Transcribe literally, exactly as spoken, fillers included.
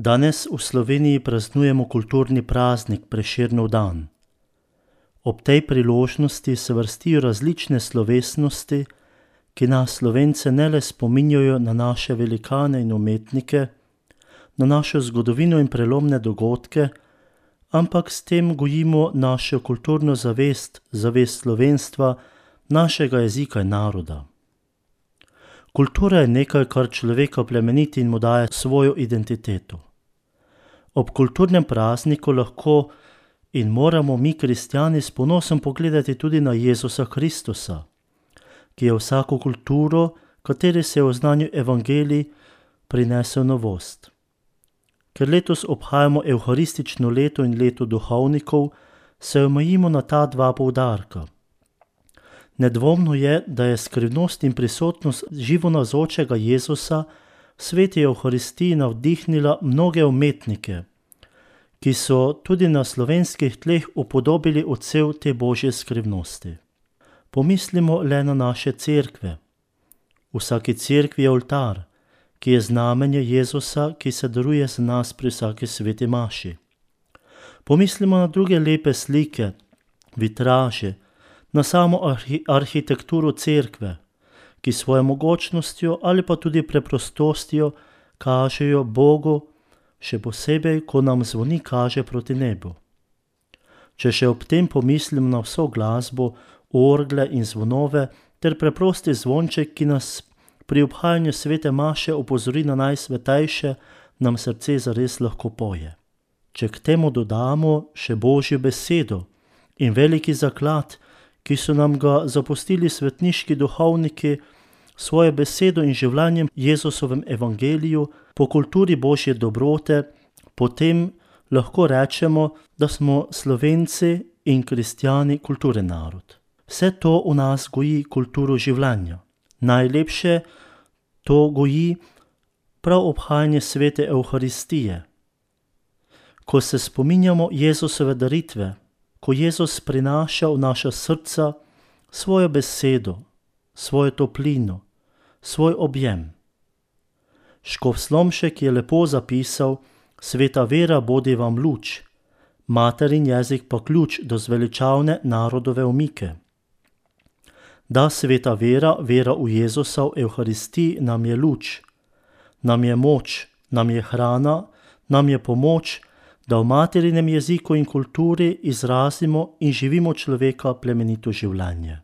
Danes v Sloveniji praznujemo kulturni praznik Prešernov dan. Ob tej priložnosti se vrstijo različne slovesnosti, ki nas Slovence ne le spominjajo na naše velikane in umetnike, na našo zgodovino in prelomne dogodke, ampak s tem gojimo našo kulturno zavest, zavest slovenstva, našega jezika in naroda. Kultura je nekaj, kar človeka plemeniti in mu daje svojo identiteto. Ob kulturnem prazniku lahko in moramo mi, kristjani, s ponosom pogledati tudi na Jezusa Kristusa, ki je vsako kulturo, kateri se je v znanju evangelij, prinesel novost. Ker letos obhajamo evharistično leto in leto duhovnikov, se omejimo na ta dva poudarka. Nedvomno je, da je skrivnost in prisotnost živonavzočega Jezusa v sveti evharistiji navdihnila mnoge umetnike, ki so tudi na slovenskih tleh upodobili odsev te božje skrivnosti. Pomislimo le na naše cerkve. V vsaki cerkvi je oltar, ki je znamenje Jezusa, ki se daruje za nas pri vsaki sveti maši. Pomislimo na druge lepe slike, vitraže, na samo arhi- arhitekturo cerkve, ki svojo mogočnostjo ali pa tudi preprostostjo kažejo Bogu, še posebej, ko nam zvoni kaže proti nebu. Če še ob tem pomislim na vso glasbo, orgle in zvonove ter preprosti zvonček, ki nas pri obhajanju svete maše opozori na najsvetejše, nam srce zares lahko poje. Če k temu dodamo še Božjo besedo in veliki zaklad, ki so nam ga zapustili svetniški duhovniki, svojo besedo in življenjem Jezusovem evangeliju po kulturi Božje dobrote, potem lahko rečemo, da smo Slovenci in kristjani kulturen narod. Vse to v nas goji kulturo življenja. Najlepše to goji prav obhajanje svete evharistije. Ko se spominjamo Jezusove daritve, ko Jezus prinaša v naša srca svojo besedo, svojo toplino, svoj objem. Škof Slomšek je lepo zapisal: sveta vera bodi vam luč, materin jezik pa ključ do zveličavne narodove omike. Da sveta vera, vera v Jezusa v evharistiji nam je luč, nam je moč, nam je hrana, nam je pomoč, da v materinem jeziku in kulturi izrazimo in živimo človeka plemenito življenje.